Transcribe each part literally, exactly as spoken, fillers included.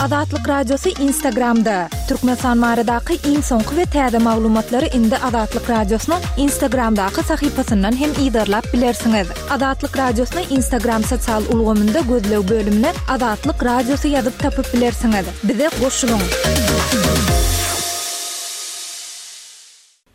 Azatlyk Radiosy Instagramda. Türkmenistan baradaky iň soňky we täze maglumatlary indi Azatlyk Radiosynyň Instagramdaky sahypasyndan hem yzarlap bilersiňiz. Azatlyk Radiosyny Instagram sosial ulgamynda gözleg bölümine Azatlyk Radiosy ýazyp tapyp bilersiňiz. Bize goşulyň.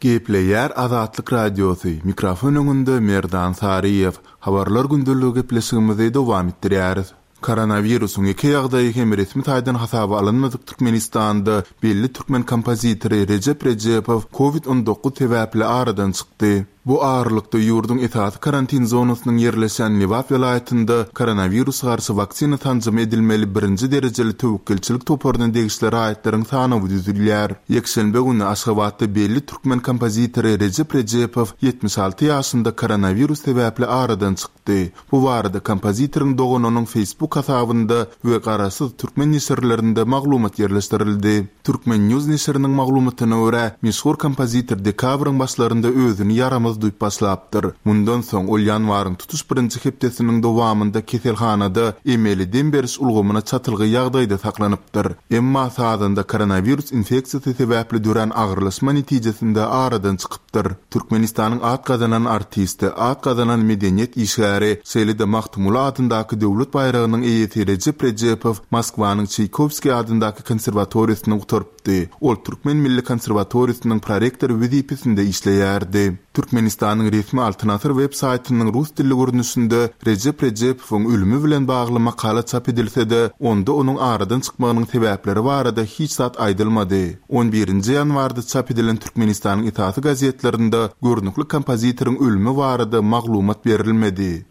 Gepleýär Azatlyk Radiosy. Mikrofon öňünde Merdan Saryýew. Habarlar gündeligi gepleşigimizi dowam etdirýäris. Koronawirusyň iki ýagdaýy hem resmi taýdan hasaba alynmadyk Türkmenistanda belli türkmen kompozitory Rejep Rejepow COVID on dokuz sebäpli aradan çykdy. Bu aralykda ýurduň esasy karantin zonasynyň ýerleşen Lebap welaýatynda koronawirus garşy waksina sanjymy edilmeli birinji derejeli töwekgelçilik toparyna degişli raýatlaryň sanawy düzülýär. Ýekşenbe güni Aşgabatda belli türkmen kompozitory Rejep Rejepow ýetmiş alty ýaşynda koronawirus sebäpli aradan çykdy. Bu barada kompozitoryň doganynyň Facebook hasabynda we garaşsyz türkmen neşirlerinde maglumat ýerleşdirildi. Türkmen News neşiriniň maglumatyna görä, meşhur kompozitor dekabryň başlarynda özüni ýaramaz duýup başlapdyr. Mundan soň ol ýanwaryň tutuş birinji hepdesiniň dowamynda keselhanada emeli dem beriş ulgamyna çatylgy ýagdaýda saklanypdyr. Emma sazanda koronawirus infeksiýasy sebäpli dörän agyrlaşma netijesinde aradan çykypdyr. Türkmenistanyň at gazanan artisti, at gazanan medeniýet işgäri, şeýle-de Magtymguly adyndaky döwlet baýragynyň eýesi Rejep Rejepow Moskwanyň Çaýkowskiý adyndaky konserwatoriýasyny gutarypdy. Ol Türkmen Milli Konserwatoriýasynyň prorektory wezipesinde işleýärdi. Türkmenistanyň resmi Altyn Asyr web saýtynyň rus dilli görnüşinde Rejep Rejepowyň ölümi bilen bagly makala çap edilse-de, onda onuň aradan çykmagynyň sebäpleri barada hiç zat aýdylmady. on birinji ýanwarda çap edilen Türkmenistanyň esasy gazetlerinde görnükli kompozitoryň ölümi barada maglumat berilmedi.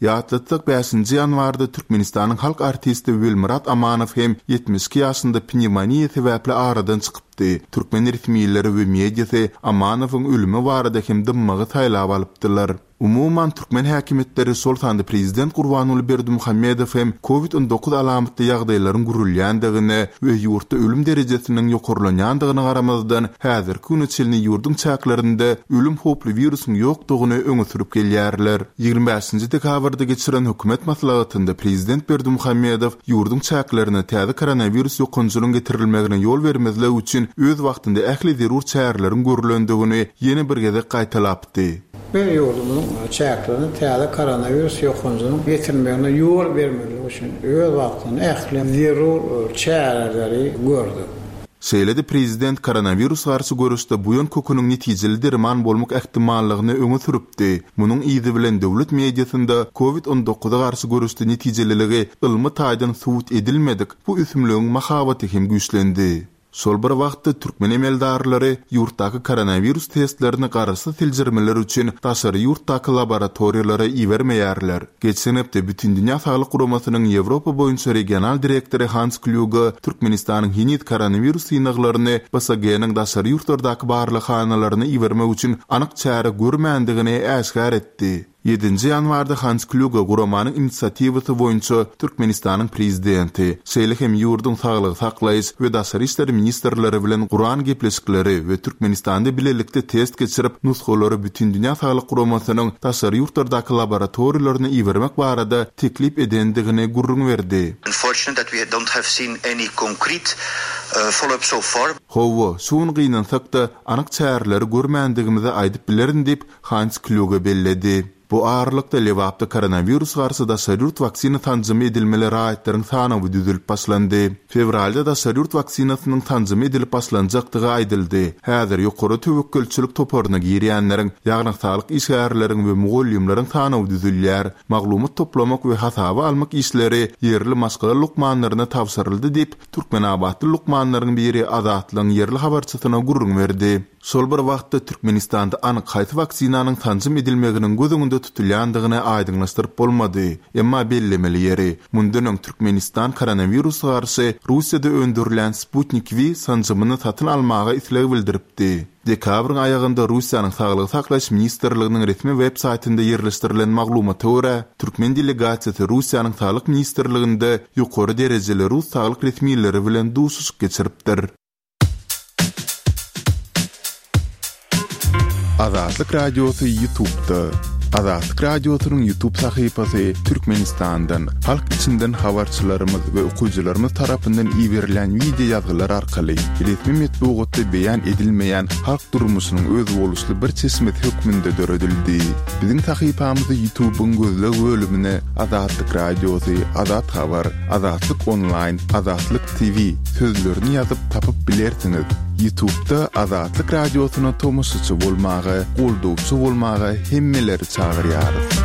Ýatlatsak bäşinji ýanwarda Türkmenistanyň halk artisti Welmyrat Amanow hem ýetmiş iki ýaşynda pnevmoniýa sebäpli aradan çykypdy. Türkmen resmileri we mediasy Amanowyň ölümi barada hem dymmagy saýlap alypdylar. Umuman türkmen häkimiýetleri şol sanda prezident Gurbanguly Berdimuhamedow hem COVID on dokuz alamatly ýagdaýlaryň gürülýändigine we ýurtda ölüm derejesiniň ýokarlanýandygyna garamazdan häzirki güne çenli ýurduň çäklerinde ölüm howply wirusyň ýokdugyny öňe sürüp gelýärler. Ýigrimi bäşinji dekabrda geçiren hökümet maslahatynda prezident Berdimuhamedow ýurduň çäklerine täze koronawirus ýokanjynyň getirilmegine ýol bermezlik üçin öz wagtynda ähli zerur çäreleriň görülendigini ýene bir gezek gaýtalapdy. Bir ýurdumyzyň çäklerine täze koronawirus ýokanjynyň getirilmegine ýol bermezlik üçin öz wagtynda ähli zerur çäreleri gördük. Şeýle-de prezident koronawirus garşy görüşde buýan köküniň netijeli derman bolmak ähtimallygyny öňe sürüpdi. Munuň yzy bilen döwlet mediasynda COVID on dokuza garşy görüşde netijeliligi ylmy taýdan subut edilmedik bu ösümligiň mahabaty hem güýçlendi. Şol bir wagtda türkmen emeldarlary ýurtdaky koronawirus testlerini garaşsyz seljermeler üçin daşary ýurtdaky laboratoriýalara ibermeýärler. Geçen hepde Bütindünýä Saglyk Guramasynyň Ýewropa boýunça regional direktory Hans Kluge Türkmenistanyň heniz koronawirus synaglaryny B S G-niň daşary ýurtlardaky barlaghanalaryna ibermek üçin anyk çäre görmändigini äşgär etdi. Ýedinji ýanwarda Hans Kluge guramanyň inisiatiwasy boýunça Türkmenistanyň prezidenti, şeýle hem ýurduň saglygy saklaýyş we daşary işler ministrleri bilen guran gepleşikleri we Türkmenistanda bilelikde test geçirip, nusgalary Bütindünýä Saglyk Guramasynyň daşary ýurtlardaky laboratoriýalaryna ibermek barada teklip edendigini gürrüň berdi. Unfortunate that we don't have seen any concrete, uh, follow-up so far. Hawa, şu gün gynansak-da anyk çäreleri görmändigimizi aýdyp bilerin diýip Hans Kluge belledi. Bu aralykda Lebapda koronawirus garşy daşary ýurt waksina sanjymy edilmeli raýatlaryň sanawy düzülip başlandy. Fewralda daşary ýurt waksinasynyň sanjymy edilip başlanjakdygy aýdyldy. Häzir ýokary töwekgelçilik toparyna girýänleriň, ýagny saglyk işgärleriň we mugallymlaryň sanawy düzülýär. Maglumat toplamak we hasaba almak işleri ýerli maşgala lukmanlaryna tabşyryldy diýip, Türkmenabatly lukmanlaryň biri Azatlygyň ýerli habarçysyna gürrüň berdi. Şol bir wagtda Türkmenistanda anyk haýsy waksinanyň sanjym edilmeginiň göz öňünde tutulýandygyny aýdyňlaşdyryp bolmady. Emma bellemeli ýeri, mundan öň Türkmenistan koronawirusa garşy Russiýada öndürilen Sputnik V sanjymyny satyn almaga isleg bildiripdi. Dekabryň aýagynda Russiýanyň Saglygy saklaýyş ministrliginiň resmi web saýtynda ýerleşdirilen maglumata görä, türkmen delegasiýasy Russiýanyň Saglyk ministrliginde ýokary derejeli rus saglyk resmileri bilen duşuşyk geçiripdir. Azatlyk Radiosy YouTube'da. Azatlyk Radiosynyň YouTube sahypasy Türkmenistandan, halk içinden habarçylarymyz we okyjylarymyz tarapyndan iberilen wideo ýazgylar arkaly resmi metbugatda beýan edilmeýän halk durmuşynyň özboluşly bir çeşmesi hökmünde döredildi. Biziň sahypamyzy YouTube'yň gözleg bölümine Azatlyk Radiosy, Azat Habar, Azatlyk Online, Azatlyk T V sözlerini ýazyp tapyp bilersiňiz. YouTube'da Azatlyk Radiosyna tomaşaçy bolmaga, goldawçy bolmaga hemmeleri çagyrýarys.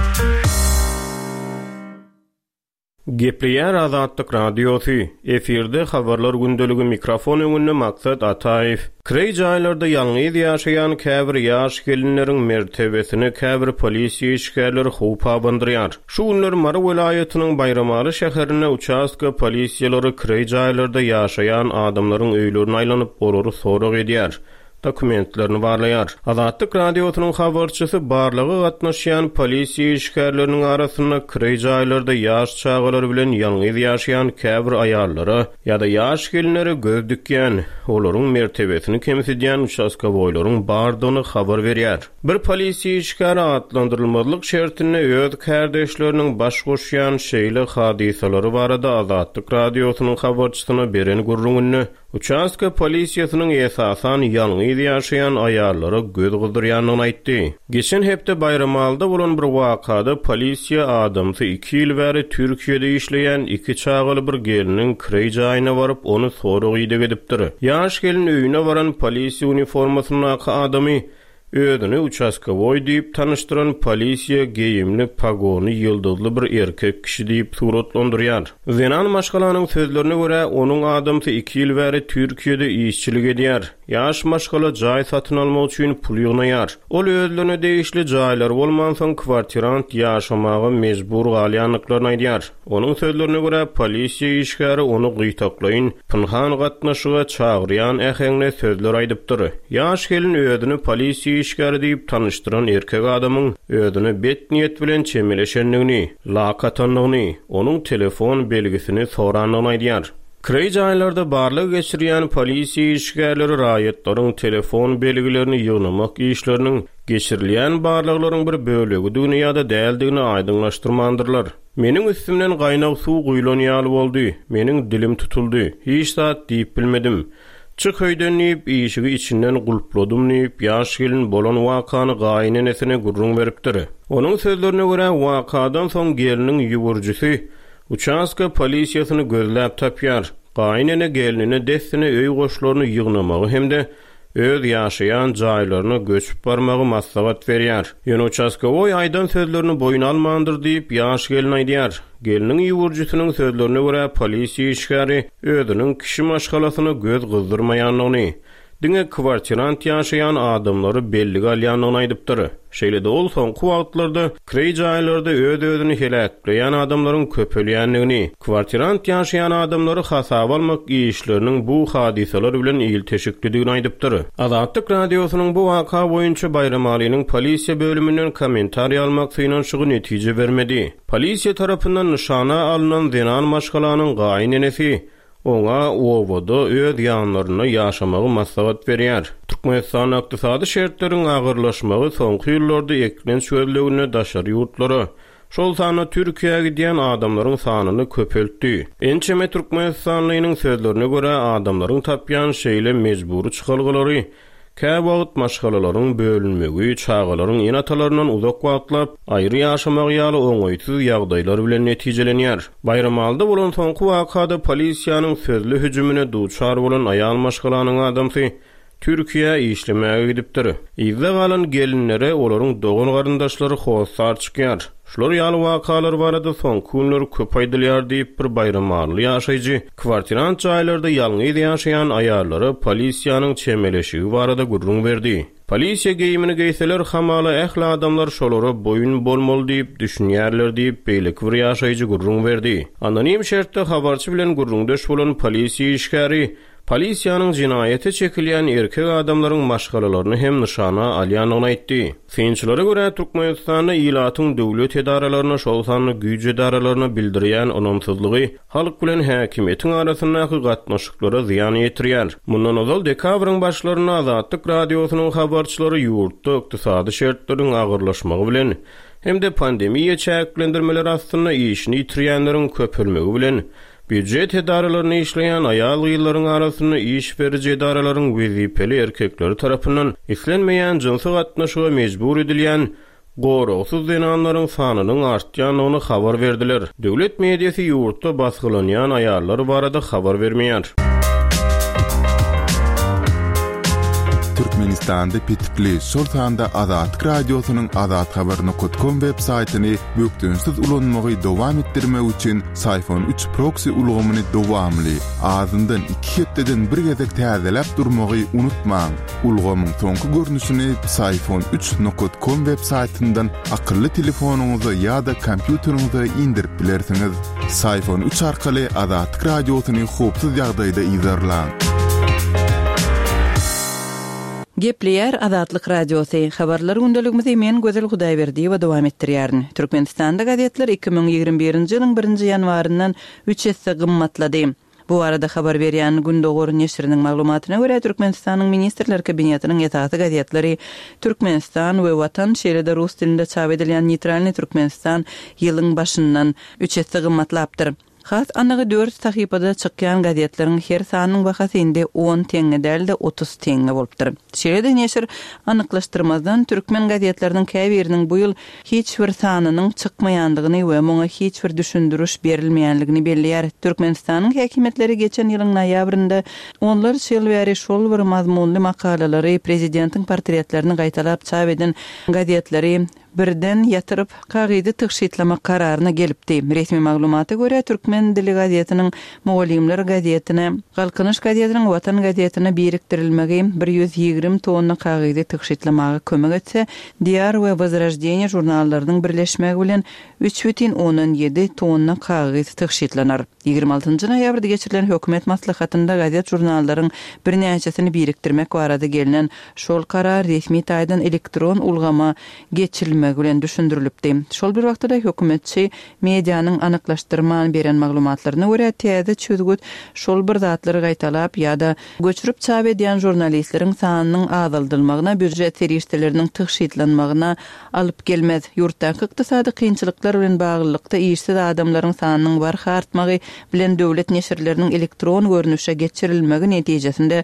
Gepleýär Azatlyk Radiosy. Efirde habarlar gündeligi mikrofon öňünde Maksat Ataýew. Kireý jaýlarda ýalňyz ýaşaýan käbir ýaş gelinleriň mertebesini käbir polisiýa işgärleri howp abandyrýar. Şu günler Mary welaýatynyň Baýramaly şäherinde uçastka polisiýalary kireý jaýlarda ýaşaýan adamlaryň öýlerine aýlanyp, olary sorag edýär. Dokumentlerini barlaýar. Azatlyk Radiosynyň habarçysy barlaga gatnaşýan polisiýa işgärleriniň arasynda kireý jaýlarda ýaş çagalar bilen ýalňyz ýaşaýan käbir aýallara ýa-da ýaş gelinlere göz dikýän, olaryň mertebesini kemsidýän uçastkowoýlaryň bardygyny habar berýär. Bir polisiýa işgäri atlandyrylmazlyk şertinde öz kärdeşleriniň baş goşýan şeýle hadysalary barada Azatlyk Radiosynyň habarçysyna beren gürrüňinde uçastka polisiýasynyň esasan ýalňyz ýaşaýan aýallara göz gyzdyrýandygyny aýtdy. Geçen hepde Baýramalyda bolan bir wakada polisiýa adamsy iki ýyl bäri Türkiýede işleýän iki çagaly bir geliniň kireý jaýyna baryp, ony sorag ideg edipdir. Ýaş gelin öýüne baran polisiýa uniformasyndaky adamy özüni uçastkowoý diýip tanyşdyran polisiýa geýimli pagony ýyldyzly bir erkek kişi diýip suratlandyrýar. Zenan maşgalanyň sözlerine görä, onuň adamsy iki ýyl bäri Türkiýede işçilik edýär. Ýaş maşgala jaý satyn almak üçin pul ýygnaýar. Ol özlerine degişli jaýlar bolmansoň kwartirant ýaşamaga mejbur galýandyklaryny aýdýar. Onuň sözlerine görä, polisiýa işgäri ony gyýtaklaýyn, pynhan gatnaşyga çagyrýan äheňle sözler aýdypdyr. Ýaş gelin özüni polisiýa işgäri diýip tanyşdyran erkek adamyň özüne bet niýet bilen çemeleşendigini, lak atandygyny, onuň telefon belgisini sorandygyny aýdýar. Kireý jaýlarda barlag geçirýän polisiýa işgärleri raýatlaryň telefon belgilerini ýygnamak işleriniň geçirilýän barlaglaryň bir bölegidigini ýa-da däldigini aýdyňlaşdyrmandyrlar. Meniň üstümden gaýnag suw guýlan ýaly boldy. Meniň dilim tutuldy. Hiç zat diýip bilmedim. Çyk öýden diýip, işigi içinden gulpladym diýip, ýaş gelin bolan wakany gaýynenesine gürrüň beripdir. Onuň sözlerine görä, wakadan soň geliniň ýüwürjisi uçastka polisiýasyny gözläp tapýar. Gaýynene gelinine dessine öý goşlaryny ýygnamagy hem-de öz ýaşaýan jaýlaryna göçüp barmagy maslahat berýär. Ýöne uçastkowoý aýdan sözlerini boýun almandyr diýip, ýaş gelin aýdýar. Geliniň ýüwürjisiniň sözlerine görä, polisiýa işgäri özüniň kişi maşgalasyna göz gyzdyrmaýandygyny, diňe kwartirant ýaşaýan adamlary bellige alýandygyny aýdypdyr. Şeýle-de ol soňky wagtlarda kireý jaýlarda öz-özüni heläkleýän adamlaryň köpelýändigini, kwartirant ýaşaýan adamlary hasaba almak işleriniň bu hadysalar bilen ilteşiklidigini aýdypdyr. Azatlyk Radiosynyň bu waka boýunça Baýramalynyň polisiýa bölüminden kommentariý almak synanyşygy netije bermedi. Polisiýa tarapyndan nyşana alynan zenan maşgalanyň gaýynenesi oňa owada öz ýanlarynda ýaşamagy maslahat berýär. Türkmenistanda ykdysady şertleriň agyrlaşmagy soňky ýyllarda eklenç gözleginde daşary ýurtlara, şol sanda Türkiýä gidýän adamlaryň sanyny köpeltdi. Ençeme Türkmenistanlynyň sözlerine görä, adamlaryň tapýan şeýle mejbury çykalgalary käwagt maşgalalaryň bölünmegi, çagalaryň ene-atalaryndan uzak wagtlap aýry ýaşamagy ýaly oňaýsyz ýagdaýlar bilen netijelenýär. Baýramalyda bolan soňky wakada polisiýanyň sözli hüjümine duçar bolan aýal maşgalanyň adamsy Türkiýä işlemäge gidipdir. Yzda galan gelinlere olaryň dogan garyndaşlary hossar çykýar. Şular ýaly wakalar barada soňky günler köp aýdylýar diýip bir baýramaly ýaşaýjy kwartirant jaýlarda ýalňyz ýaşaýan aýallara polisiýanyň çemeleşigi barada gürrüň berdi. Polisiýa geýimini geýseler hamala ähli adamlar şolara boýun bolmaly diýip düşünýärler diýip beýleki bir ýaşaýjy gürrüň berdi. Anonim şertde habarçy bilen gürrüňdeş bolan polisiýa işgäri polisiýanyň jinaýata çekilýän erkek adamlaryň maşgalalaryny hem nyşana alýandygyny aýtdy. Synçylara görä Türkmenistanda ilatyň döwlet edaralaryna, şol sanda güýç edaralaryna bildirýän ynamsyzlygy halk bilen häkimiýetiň arasyndaky gatnaşyklara zyýan ýetirýär. Mundan ozal dekabryň başlarynda Azatlyk radiosynyň habarçylary ýurtda ykdysady şertleriň agyrlaşmagy bilen hem-de pandemiýa çäklendirmeleri astynda işini ýitirýänleriň köpelmegi bilen býujet edaralaryny işleýän aýal-gyzlaryň arasynda iş beriji edaralaryň wezipeli erkekleri tarapyndan islenmeýän jynsy gatnaşyga mejbur edilýän goragsyz zenanlaryň sanynyň artýandygyny habar berdiler. Döwlet mediasy ýurtda basgylanýan aýallar barada habar bermeýär. Türkmenistanda petikli, şol sanda Azatlyk radiosynyň azathabar.com web saýtyny bökdençsiz ulanmagy dowam etdirmek üçin Syfon üç proxy ulgamyny dowamly, azyndan iki hepdeden bir gezek täzeläp durmagy unutmaň. Ulgamyň soňky görnüşini Syfon üç nokta com web saýtyndan akylly telefonyňyza ýa-da kompýuteriňize indirip bilersiňiz. Syfon üç arkaly Azatlyk radiosyny howpsuz ýagdaýda yzarlaň. Gepleýär Azatlyk radiosy. Habarlar gündeligimizi men Gözel Hudaýberdiýewa dowam etdirýärin. Türkmenistanda gazetler iki müň ýigrimi birinji ýylyň birinji ýanwaryndan üç esse gymmatlady. Bu arada habar berýän Gündogar neşiriniň maglumatyna görä Türkmenistanyň Ministrler Kabinetiniň esasy gazetleri Türkmenistan we Watan, şeýle-de rus dilinde çap edilýän Neytralny Türkmenistan ýylyň başyndan üç esse gymmatlapdyr. Has anygy dört sahypada çykýan gazetleriň her sanynyň bahasy indi on teňňe däl-de otuz teňňe bolupdyr. Şeýle-de neşir anyklaşdyrmazdan türkmen gazetleriniň käbiriniň bu ýyl hiç bir sanynyň çykmaýandygyny we muňa hiç bir düşündiriş berilmeýänligini belleýär. Türkmenistanyň häkimiýetleri geçen ýylyň noýabrynda onlarça ýyl bäri şol bir mazmunly makalalary, prezidentiň portretlerini gaýtalap çap eden gazetleri birden ýatyryp kagyzy tygşytlamak kararyna gelipdi. Resmi maglumata görä Türkmen dili gazetiniň Mugallymlar gazetine, Galkynyş gazetiniň Watan gazetine birikdirilmegi bir ýüz ýigrimi tonna kagyzy tygşytlamaga kömek etse, Diýar we Wozroždeniýe žurnallarynyň birleşmegi bilen üç bütin ondan ýedi tonna kagyz tygşytlanar. Ýigrimi altynjy noýabrda geçirilen hökümet maslahatynda gazet žurnallaryň birnäçesini birikdirmek barada gelinen şol karar resmi taýdan elektron ulgama geçirilmegi bilen düşündirilipdi. Şol bir wagtda hökümetçi medianyň anyklaşdyrman beren maglumatlaryna görä täze çözgüt şol bir zatlary gaýtalap ýa-da göçürip çap edýän žurnalistleriň sanynyň azaldylmagyna, býujet serişdeleriniň tygşytlanmagyna alyp gelmez. Ýurtdaky ykdysady kynçylyklar bilen baglylykda işsiz adamlaryň sanynyň barha artmagy bilen döwlet neşirleriniň elektron görnüşe geçirilmegi netijesinde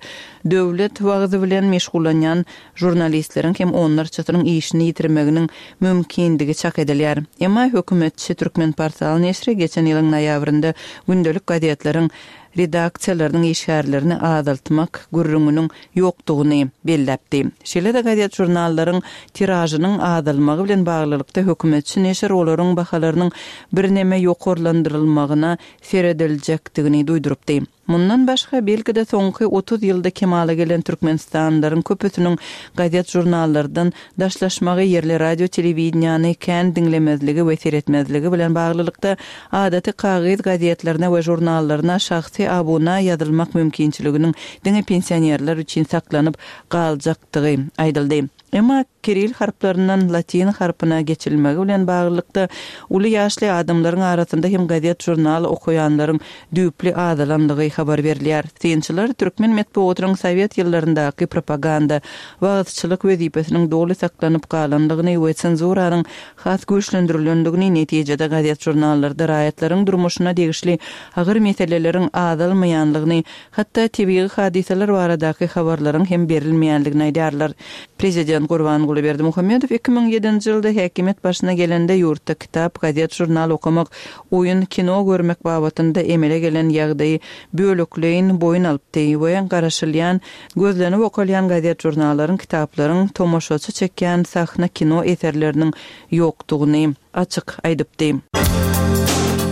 döwlet wagzy bilen meşgullanýan žurnalistleriň hem onlarçasynyň işini ýitirmeginiň mümkindigi çak edilýär. Emma hökümetçi Türkmen portal neşiri geçen ýylyň noýabrynda gündelik gazetleriň redaksiýalarynyň işgärlerini azaltmak gürrüňiniň ýokdugyny belläpdi. Şeýle-de gazet žurnallaryň tiražynyň azalmagy bilen baglylykda hökümetçi neşir olaryň bahalarynyň birneme ýokarlandyrylmagyna serediljekdigini duýdurypdy. Mundan başga belki-de soňky otuz ýylda kemala gelen Türkmenistanlylaryň köpüsiniň gazet žurnallardan daşlaşmagy, ýerli radio telewideniýany kän diňlemezligi we seretmezligi bilen baglylykda adaty kagyz gazetlerine we žurnallaryna şahsy abuna ýazylmak mümkinçiliginiň diňe pensionerler üçin saklanyp galjakdygy aýdyldy. Emma Kiril harplaryndan latin harpyna geçirilmegi bilen baglylykda uly ýaşly adamlaryň arasynda hem gazet žurnal okaýanlaryň düýpli azalandygy habar berilýär. Synçylar türkmen metbugatynyň sowet ýyllaryndaky propaganda, wagyzçylyk wezipesiniň doly saklanyp galandygyny we senzuranyň has güýçlendirilendigini netijede gazet žurnallarda raýatlaryň durmuşyna degişli agyr meseleleriň azalmaýanlygyny, hatda tebigy hadysalar baradaky habarlaryň hem berilmeýänligini aýdarlar. Prezident Prezident Gurbanguly Berdimuhamedow iki müň ýedinji ýylda häkimiýet başyna gelende ýurtda kitap, gazet, žurnal okamak, oýun, kino görmek babatynda emele gelen ýagdaýy bölekleýin boýun alypdy we garaşylýan, gözlenip okalýan gazet, žurnallaryň, kitaplaryň, tomaşaçy çekýän sahna kino eserleriniň ýokdugyny açyk aýdypdy.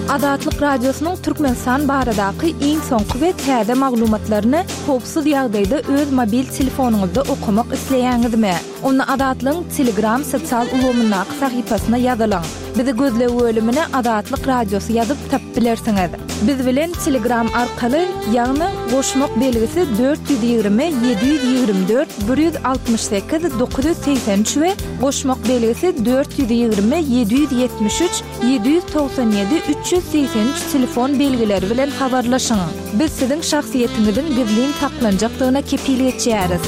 Azatlyk Radiosynyň Türkmenistan baradaky iň soňky we täze maglumatlaryny howpsuz ýagdaýda öz mobil telefonyňyzda okamak isleýäňizmi? Onda Azatlygyň Telegram sosial ulgamyndaky sahypasyna ýazylyň. Bizi gözleg bölümine Azatlyk Radiosy ýazyp tapyp bilersiňiz. Biz bilen Telegram arkaly, ýagny goşmak belgisi dört ýüz ýigrimi ýedi ýüz ýigrimi dört bir ýüz altmyş sekiz dokuz ýüz segsen üç we goşmak belgisi dört ýüz ýigrimi ýedi ýüz ýetmiş üç ýedi ýüz togsan ýedi üç ýüz segsen üç telefon belgileri bilen habarlaşyň. Biz siziň şahsyýetiňiziň gizlin saklanjakdygyna kepil geçýäris.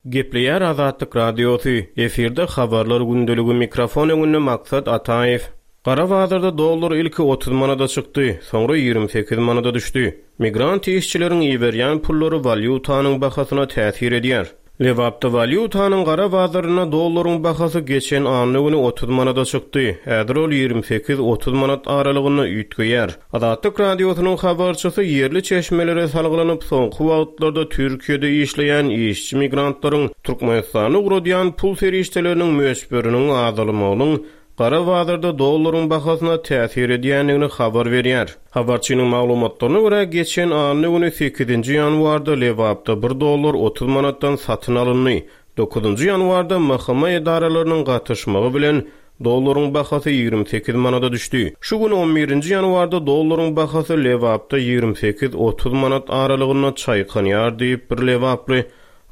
Gepleýär Azatlyk Radiosy, efirde habarlar gündeligi, mikrofon öňünde Maksat Ataýew. Gara bazarda dollar ilki otuz manada çykdy, soňra ýigrimi sekiz manada düşdi. Migrant işçileriň iberýän pullary walýutanyň bahasyna täsir edýär. Lebapda walýutanyň gara bazarynda dollaryň bahasy geçen anna güni otuz manada çykdy. Häzir ol ýigrimi sekiz otuz manat aralygynda üýtgeýär. Azatlyk Radiosynyň habarçysy ýerli çeşmelere salgylanyp, soňky wagtlarda Türkiýede işleýän işçi migrantlaryň Türkmenistana ugradýan pul serişdeleriniň möçberiniň azalmagynyň gara bazarda dollaryň bahasyna täsir edýändigini habar berýär. Habarçynyň maglumatlaryna görä, geçen anna güni sekizinji ýanwarda Lebapda bir dollar otuz manatdan satyn alyndy. Dokuzynjy ýanwarda M H M edaralarynyň gatyşmagy bilen dollaryň bahasy ýigrimi sekiz manada düşdi. Şu gün on birinji ýanwarda dollaryň bahasy Lebapda ýigrimi sekiz otuz manat aralygynda çaýkanýar diýip bir Lebaply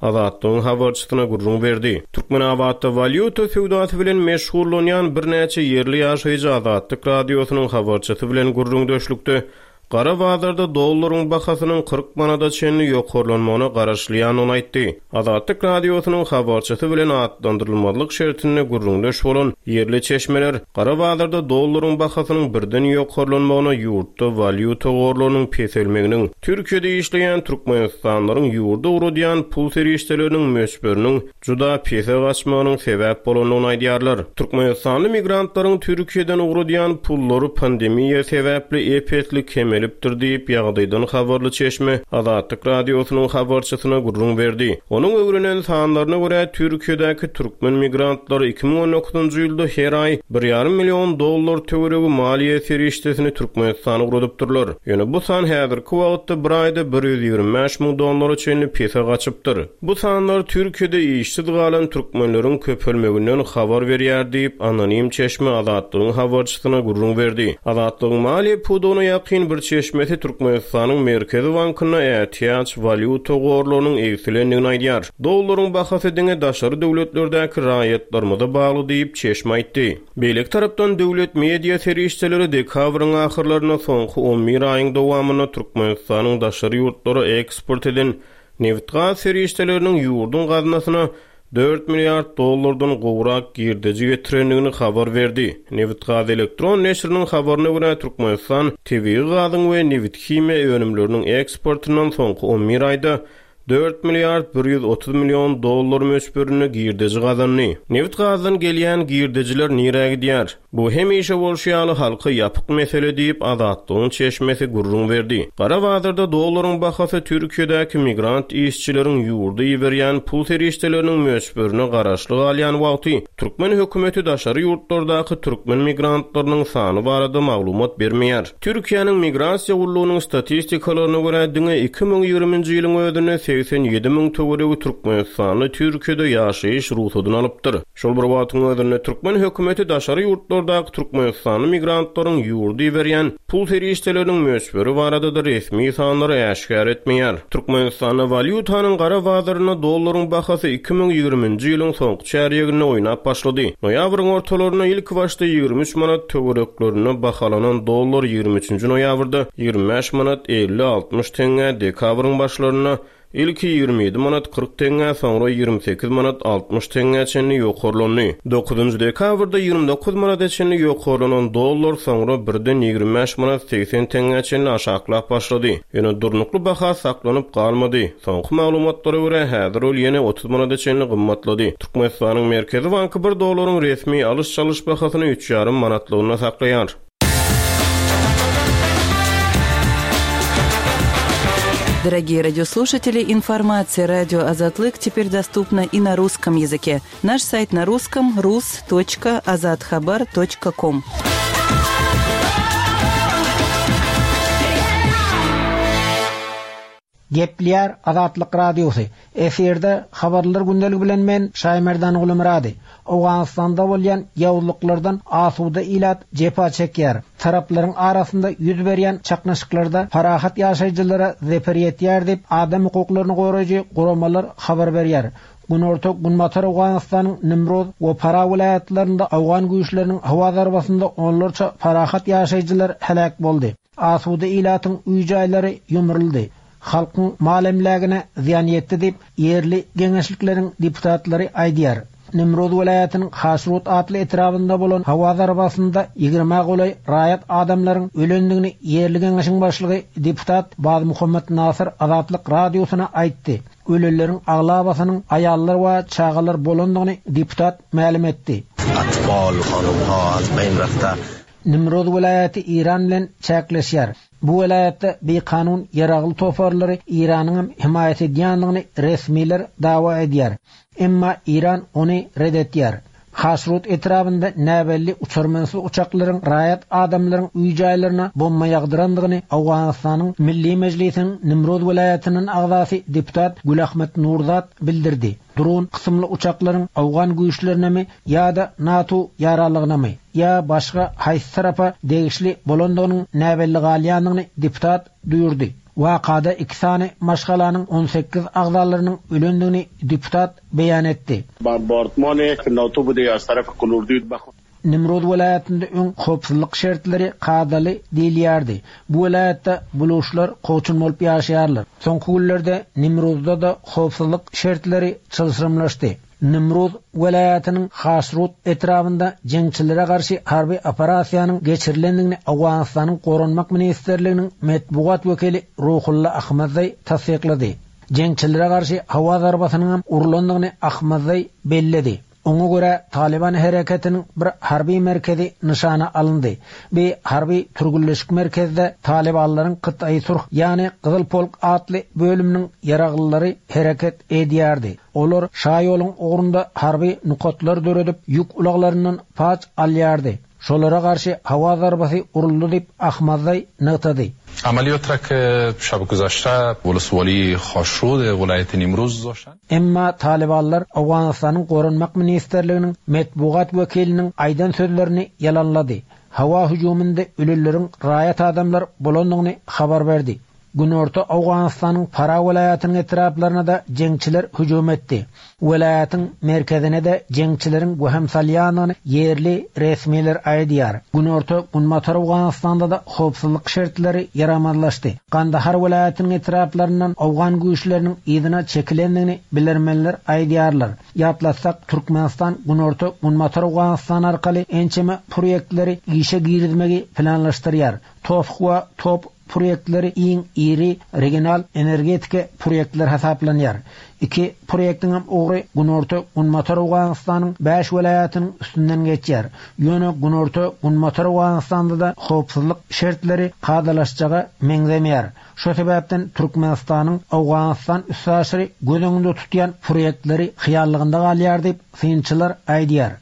Azatlygyň habarçysyna gürrüň berdi. Türkmenabatda walýuta söwdasy bilen meşgullanýan birnäçe ýerli ýaşaýjy Azatlyk Radiosynyň habarçysy bilen gürrüňdeşlikde gara bazarda dollaryň bahasynyň kyrk manada çenli ýokarlanmagyna garaşylýandygyny aýtdy. Azatlyk Radiosynyň habarçysy bilen atlandyrylmazlyk şertinde gürrüňdeş bolan ýerli çeşmeler gara bazarda dollaryň bahasynyň birden ýokarlanmagyna ýurtda walýuta gorlarynyň peselmeginiň, Türkiýede işleýän Türkmenistanlaryň ýurda ugradýan pul serişdeleriniň möçberiniň juda pese gaçmagynyň sebäp bolandygyny aýdýarlar. Türkmenistanly migrantlaryň Türkiýeden ugradýan pullary pandemiýa sebäpli ep-esli kemelipdir diýip ýagdaýdan habarly çeşme Azatlyk Radiosynyň habarçysyna gürrüň berdi. Onuň öwrenen sanlaryna görä Türkiýedäki türkmen migrantlary iki müň on dokuzynjy ýylda her aý bir ýarym million dollar töweregi maliýe serişdesini Türkmenistana ugradypdyrlar. Ýöne bu san häzirki wagtda bir aýda bir ýüz ýigrimi bäş müň dollara çenli pese gaçypdyr. Bu sanlar Türkiýede işsiz galan türkmenleriň köpelmeginden habar berýär diýip anonim çeşme Azatlygyň habarçysyna gürrüň berdi. Azatlygyň maliýe pudagyna ýakyn bir çeşmesi Türkmenistanyň Merkezi Bankynda ätiýaç walýuta gorlarynyň egsilendigini aýdýar. Dollaryň bahasy diňe daşary döwletlerdäki raýatlarymyza bagly diýip çeşme aýtdy. Beýleki tarapdan döwlet media serişdeleri dekabryň ahyrlaryna soňky on bir aýyň dowamynda Türkmenistanyň daşary ýurtlara eksport eden nebit-gaz serişdeleriniň ýurduň gaznasyna dört milliard dollardan gowrak girdeji getirendigini habar berdi. Nebit-gaz elektron neşiriniň habaryna görä Türkmenistan tebigy gazyň we nebit-himiýa önümleriniň eksportyndan soňky on bir aýda dört milliard bir ýüz otuz million dollar möçberinde girdeji gazandy. Nebit-gazdan gelýän girdejiler nirä gidýär? Bu hemişe bolşy ýaly halka ýapyk mesele diýip Azatlygyň çeşmesi gürrüň berdi. Gara bazarda dollaryň bahasy Türkiýedäki migrant işçileriň ýurda iberýän pul serişdeleriniň möçberine garaşly galýan wagty türkmen hökümeti daşary ýurtlardaky türkmen migrantlarynyň sany barada maglumat bermeýär. Türkiýäniň migrasiýa gullugynyň statistikalaryna görä diňe iki müň ýigriminji ýylyň özünde segsen ýedi müň töweregi Türkmenistanly Türkiýede ýaşaýyş ruhsadyny alypdyr. Şol bir wagtyň özünde türkmen hökümeti daşary ýurtlardaky Türkmenistanly migrantlaryň ýurda iberýän pul serişdeleriniň möçberi barada da resmi sanlary äşgär etmeýär. Türkmenistanda walýutanyň gara bazarynda dollaryň bahasy iki müň ýigriminji ýylyň soňky çärýeginde oýnap başlady. Noýabryň ortalarynda ilk başda ýigrimi üç manat töwereklerinde bahalanan dollar ýigrimi üçünji noýabrda ýigrimi bäş manat elli altmyş teňňe, dekabryň başlarynda Ilki ýigrimi ýedi manat kyrk teňňä, soňra ýigrimi sekiz manat altmyş teňňä çenli ýokarlandy. Dokuzynjy dekabrda ýigrimi dokuz manada çenli ýokarlanan dollar soňra birden ýigrimi bäş manat segsen teňňä çenli aşaklap başlady. Ýöne durnukly baha saklanyp galmady. Soňky maglumatlara görä, häzir ol ýene otuz manada çenli gymmatlady. Türkmenistanyň Merkezi banky bir dollaryň resmi alyş-çalyş bahasyny üç ýarym manatlygynda saklaýar. Дорогие радиослушатели, информация радио Азатлык теперь доступна и на русском языке. Наш сайт на русском рус точка азатхабар точка ком. Gepleýär Azatlyk Radiosy. Efirde habarlar gündeligi bilen men Şaýmerdan Gulumyrady. Owganystanda bolýan ýawuzlyklardan asuda ilat jepa çekýär. Taraplaryň arasynda ýüz berýän çaknyşyklarda parahat ýaşaýjylara zeper ýetýär diýip adam hukuklaryny goraýjy guramalar habar berýär. Günorta Günbatar Owganystanyň Nimroz we Para welaýatlarynda Owgan güýçleriniň howa zarbasynda onlarça parahat ýaşaýjylar heläk boldy. Asuda ilatyň öý-jaýlary ýumruldy. Halkyň mal emlägine zyýan ýetdi diýip ýerli geňeşlikleriň deputatlary aýdýar. Nimroz welaýatynyň Haşrut atly etrabynda bolan howa zarbasynda ýigrimi golaý raýat adamlaryň ölendigini ýerli geňeşiň başlygy deputat Baz Muhammed Nasir Azatlyk radiosyna aýtdy. Ölenleriň aglabasynyň aýallar we çagalar bolandygyny deputat mälim etdi. Atfal, hanumha, az beýn rafta. Nimroz welaýaty Iran bilen çäkleşýär. Bu welaýatda bikanun ýaragly toparlary Iranyň hem himaýat edýändigini resmiler dawa edýär. Emma Iran ony red edýär. Haşrut etrabynda näbelli uçarmansyz uçaklaryň raýat adamlaryň öý-jaýlaryna bomba ýagdyrandygyny Owganystanyň Milli Mejlisiniň Nimroz welaýatynyň agzasy deputat Gülahmet Nurzat bildirdi. Drone kysymly uçaklaryň Owgan güýçlerinemi ýa-da NATO ýaralygynamy ýa başga haýsy tarapa degişli bolandygynyň näbelli galýandygyny deputat duýurdy. Wakada iki sany maşgalanyň on sekiz agzalarynyň ölendigini deputat beýan etdi. Bombardmany NATO bu diýär taraf kulurdy. Nimroz welaýatynda öň howpsuzlyk şertleri kadaly diýilýärdi. Bu welaýatda buluşlar kowçun bolup ýaşaýarlar. Soňky günlerde Nimrozda da howpsuzlyk şertleri çylşyrymlaşdy. Nimroz welaýatynyň Haşrut etrabynda jeňçilere garşy harby operasiýanyň geçirilendigini Owganystanyň Goranmak ministrliginiň metbugat wekili Ruhulla Ahmedzaý tassyklady. Jeňçilere garşy howa zarbasynyň hem urlandygyny Ahmedzaý belledi. Oňa görä Taliban hereketiniň bir harby merkezi nyşana alyndy. Bir harby türgünleşik merkezde Talibanlaryň Kytaý Surh, ýagny Gyzyl Polk atly bölüminiň ýaraglylary hereket edýärdi. Olar Şaýoluň ugrunda harby nokatlar döredip, ýük ulaglaryndan paç alýardy. Şolara garşy howa zarbasy uruldy diýip Ahmedzaý nygtady. عملیات را که شب گذشته ولسوالی خاشرود ولایت نیمروز داشتن. Emma Talibanlar Owganystanyň Goranmak ministrliginiň metbugat wekiliniň aýdan sözlerini ýalanlady. Howa hüjüminde ölüleriň raýat adamlar bolandygyny habar berdi. Günorta Owganystanyň Para welaýatynyň etraplaryna da jeňçiler hüjüm etdi. Welaýatyň merkezine de jeňçileriň wehim salýanyny ýerli resmiler aýdýar. Günorta Günbatar Owganystanda da howpsuzlyk şertleri ýaramazlaşdy. Kandahar welaýatynyň etraplaryndan Owgan güýçleriniň yzyna çekilendigini bilermenler aýdýarlar. Ýatlatsak, Türkmenistan Günorta Günbatar Owganystan arkaly ençeme proýektleri işe girizmegi planlaşdyrýar. Tofuk we top proýektleri iň iri regional energetika proýektler hasaplanýar. Iki proýektiň hem ugry Günorta Günbatar Owganystanyň bäş welaýatynyň üstünden geçýär. Ýöne Günorta Günbatar Owganystanda da howpsuzlyk şertleri kadalaşjaga meňzemeýär. Şo sebäpden Türkmenistanyň Owganystan üstaşyry göz öňünde tutýan proýektleri hyýallygynda galýar diýip synçylar aýdýar.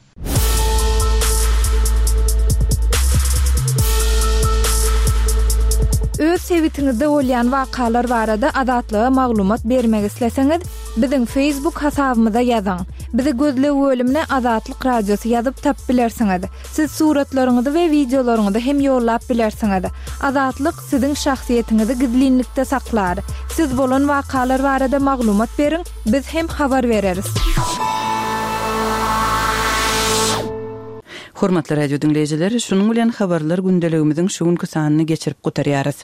Öz sebitiňizde bolýan wakalar barada Azatlyga maglumat bermek isleseňiz, biziň Facebook hasabymyza ýazyň. Bizi gözleg bölümine Azatlyk Radiosy ýazyp tap bilersiňiz. Siz suratlaryňyzy we wideolaryňyzy hem ýollap bilersiňiz. Azatlyk siziň şahsyýetiňizi gizlinlikde saklar. Siz bolan wakalar barada maglumat beriň, biz hem habar bereris. Hormatly radio diňleýjiler, şunuň bilen habarlar gündeligimiziň şu günki sanyny geçirip gutarýarys.